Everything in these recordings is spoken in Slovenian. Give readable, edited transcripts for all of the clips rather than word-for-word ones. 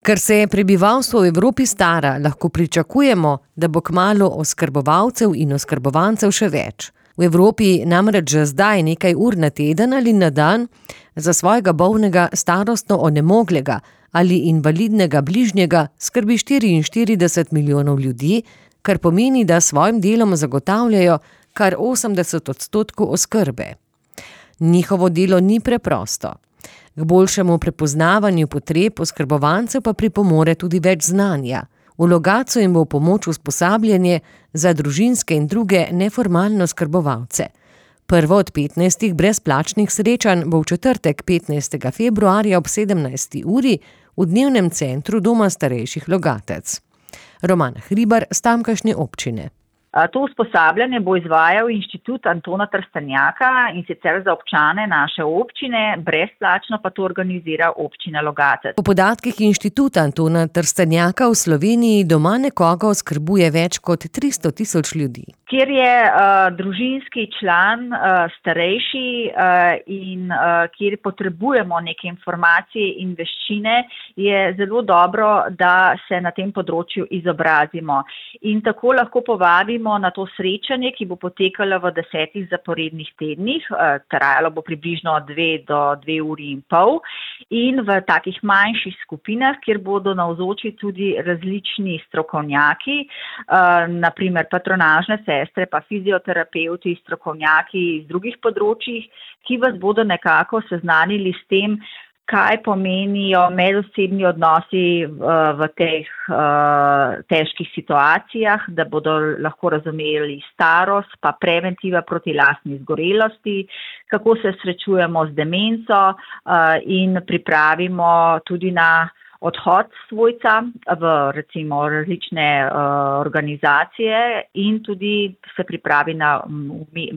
Ker se prebivalstvo v Evropi stara, lahko pričakujemo, da bo kmalu oskrbovalcev in oskrbovancev še več. V Evropi namreč že zdaj nekaj ur na teden ali na dan za svojega bolnega, starostno onemoglega ali invalidnega bližnjega skrbi 44 milijonov ljudi, kar pomeni, da s svojim delom zagotavljajo kar 80% oskrbe. Njihovo delo ni preprosto. K boljšemu prepoznavanju potreb oskrbovancev pa pripomore tudi več znanja. V Logatcu jim bo v pomoč usposabljanje za družinske in druge neformalne oskrbovalce. Prvo od 15 brezplačnih srečanj bo v četrtek 15. februarja ob 17. uri v dnevnem centru Doma starejših Logatec. Roman Hribar s tamkajšnje občine. To usposabljanje bo izvajal Inštitut Antona Trstenjaka in sicer za občane naše občine, brezplačno pa to organizira občina Logatec. Po podatkih Inštituta Antona Trstenjaka v Sloveniji doma nekoga oskrbuje več kot 300 tisoč ljudi. Kjer je družinski član starejši in kjer potrebujemo neke informacije in veščine, je zelo dobro, da se na tem področju izobrazimo. In tako lahko povabimo na to srečanje, ki bo potekalo v 10 zaporednih tednih, trajalo bo približno 2 do 2,5 ure in v takih manjših skupinah, kjer bodo navzoči tudi različni strokovnjaki, naprimer patronažne sestre, pa fizioterapevti, strokovnjaki iz drugih področjih, ki vas bodo nekako seznanili s tem, kaj pomenijo medosebni odnosi v teh težkih situacijah, da bodo lahko razumeli starost, pa preventiva proti lastni izgorelosti, kako se srečujemo z demenco in pripravimo tudi na odhod svojca v recimo različne organizacije in tudi se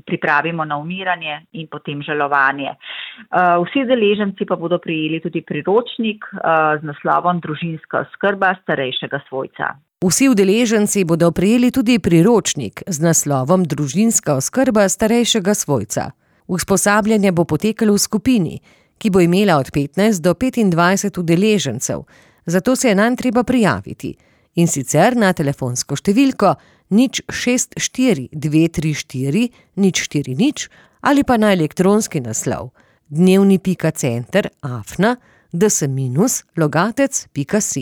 pripravimo na umiranje in potem žalovanje. Vsi udeleženci pa bodo prejeli tudi priročnik z naslovom Družinska oskrba starejšega svojca. Vsi udeleženci bodo prejeli tudi priročnik z naslovom Družinska oskrba starejšega svojca. Usposabljanje bo potekalo v skupini, ki bo imela od 15 do 25 udeležencev, zato se je nanj treba prijaviti. In sicer na telefonsko številko 064 234 040 ali pa na elektronski naslov dnevni.center@ds-logatec.si.